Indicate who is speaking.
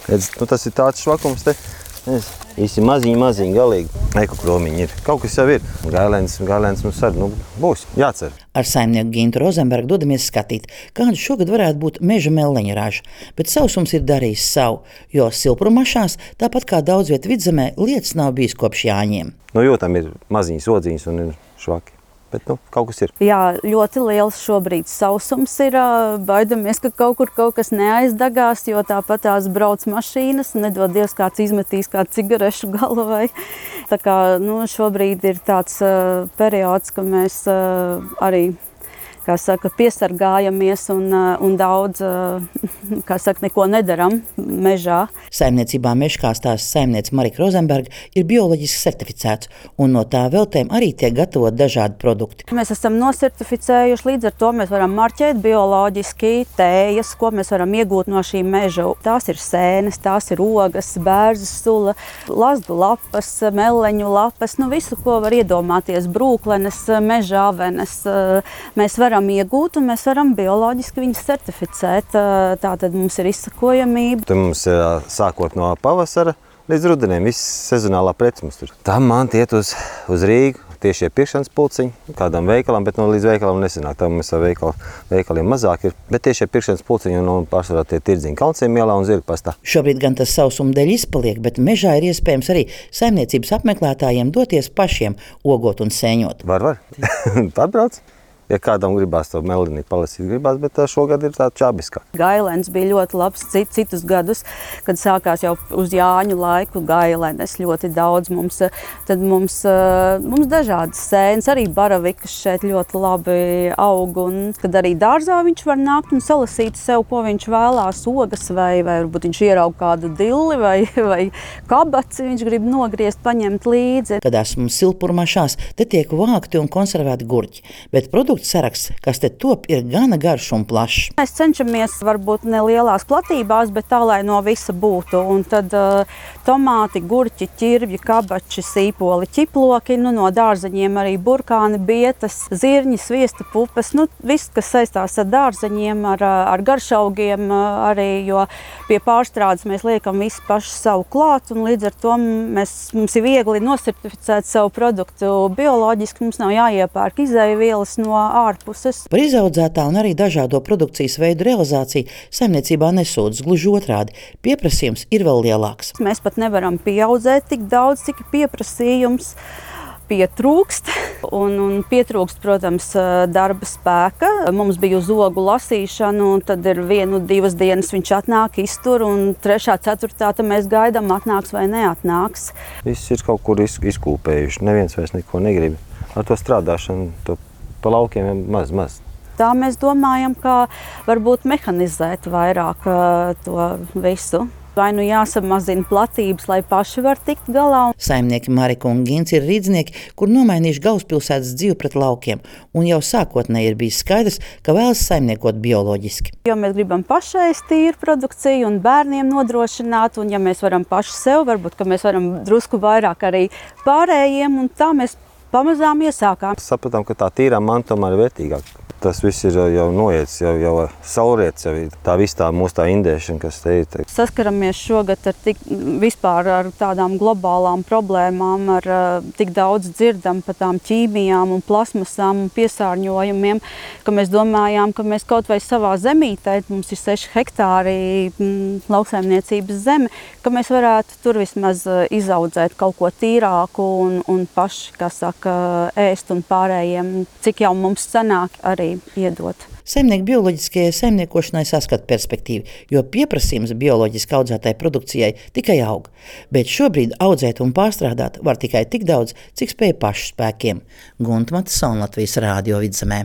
Speaker 1: Redz, tas ir tāds švakums te. Visi maziņi, galīgi. Eku kromiņi ir. Kaut kas jau ir. Gailēns mums arī būs. Jācer.
Speaker 2: Ar saimnieku Gintu Rozenbergu dodamies skatīt, kāda šogad varētu būt meža melleņa raža. Bet sausums ir darījis savu, jo silprumašās, tāpat kā daudz viet Vidzemē, lietas nav bijis kopš Jāņiem.
Speaker 1: Jūtam ir maziņas odziņas un ir švaki. Bet kaut kas ir.
Speaker 3: Jā, ļoti liels šobrīd sausums ir. Baidamies, ka kaut kas neaizdagās, jo tāpat tās brauc mašīnas. Nedod Dievs, kāds izmetīs kādu cigarešu galu vai. Tā kā šobrīd ir tāds periods, ka mēs arī piesargājamies un daudz neko nedaram mežā.
Speaker 2: Saimniecībā Mežkā stāsta saimniece Marika Rozenberga ir bioloģiski certificēts, un no tā veltēm arī tiek gatavot dažādi produkti.
Speaker 3: Mēs esam nosertificējuši, līdz ar to mēs varam marķēt bioloģiski tējas, ko mēs varam iegūt no šī meža. Tās ir sēnes, tās ir ogas, bērzas sula, lazdu lapas, melleņu lapas, visu, ko var iedomāties, brūklenes, mežāvenes. Mēs varam iegūt un mēs varam bioloģiski viņus certificēt. Tātad mums ir izsakojamība.
Speaker 1: Tur mums sākot no pavasara līdz rudenim viss sezonālā preci mums tur. Tam man iet uz Rīgu tiešie pirkšanas pulciņi, kādam veikalam, bet līdz veikalam nesanāk. Tam mēs ar veikaliem mazāk ir, bet tiešie pirkšanas pulciņi un pārsvarā tie tirdziņi Kalnciem ielā un Zirgpastā.
Speaker 2: Šobrīd gan tas sausuma dēļ izpaliek, bet mežā ir iespējams arī saimniecības apmeklētājiem doties pašiem ogot un sēņot.
Speaker 1: Var. Pārbrauc. Ja kādam gribās to melini palasīt, bet šogad ir tā čabiskā.
Speaker 3: Gailens bija ļoti labs citus gadus, kad sākās jau uz Jāņu laiku gailenes ļoti daudz mums. Tad mums dažādas sēnes, arī baravikas šeit ļoti labi aug. Un kad arī dārzā viņš var nākt un salasīt sev, ko viņš vēlās, ogas vai varbūt viņš ieraug kādu dilli vai kabaci, viņš grib nogriezt, paņemt līdzi.
Speaker 2: Tādās mums silpurmašās te tiek vākti un konservēti gurķi, bet produktu saraksts, kas te top, ir gana garš un plašs.
Speaker 3: Mēs cenšamies varbūt nelielās platībās, bet tā, lai no visa būtu. Un tad tomāti, gurķi, ķirvji, kabači, sīpoli, ķiploki, no dārzeņiem arī burkāni, bietas, zirņi, sviesta pupas, viss, kas saistās ar dārzeņiem, ar garšaugiem arī, jo pie pārstrādes mēs liekam visu pašu savu klāt, un līdz ar to mums ir viegli nosertificēt savu produktu bioloģiski, mums nav jāiepērk izēvielas no ārpuses.
Speaker 2: Par izaudzētā un arī dažādo produkcijas veidu realizāciju saimniecībā nesūdzas, gluži otrādi. Pieprasījums ir vēl lielāks.
Speaker 3: Mēs pat nevaram pieaudzēt tik daudz, cik pieprasījums pietrūkst. Un pietrūkst, protams, darba spēka. Mums bija uz ogu lasīšana, un tad ir 1-2 dienas viņš atnāk, iztur, un 3., 4. tad mēs gaidām, atnāks vai neatnāks.
Speaker 1: Viss ir kaut kur izkūpējuši, neviens vairs neko negrib. Ar to strādāšanu, pa laukiem maz.
Speaker 3: Tā mēs domājam, ka varbūt mehanizēt vairāk to visu. Vai jāsamazina platības, lai paši var tikt galā.
Speaker 2: Saimnieki Marika un Gins ir rīdznieki, kur nomainījuši galvaspilsētas dzīvi pret laukiem. Un jau sākotnēji ir bijis skaidrs, ka vēlas saimniekot bioloģiski.
Speaker 3: Jo mēs gribam pašais tīru produkciju un bērniem nodrošināt. Un ja mēs varam paši sev, varbūt, ka mēs varam drusku vairāk arī pārējiem. Un tā mēs pamazām iesākām.
Speaker 1: Sapratām, ka tā tīrā manta tomēr ir vērtīgāka. Tas viss ir jau noiets, jau saulriets, jau tā viss tā mūsu indēšana, kas te ir.
Speaker 3: Saskaramies šogad vispār ar tādām globālām problēmām, ar tik daudz dzirdam par tām ķīmijām un plasmasām un piesārņojumiem, ka mēs domājām, ka mēs kaut vai savā zemītē, mums ir 6 hektāri lauksaimniecības zeme, ka mēs varētu tur vismaz izaudzēt kaut ko tīrāku un paši, kā saka, ēst un pārējiem, cik jau mums sanāk arī iedot.
Speaker 2: Saimnieki bioloģiskajai saimniekošanai saskata perspektīvu, jo pieprasījums bioloģiski audzētai produkcijai tikai aug. Bet šobrīd audzēt un pārstrādāt var tikai tik daudz, cik spēj pašu spēkiem. Gunta Matisona, Latvijas Rādio Vidzemē.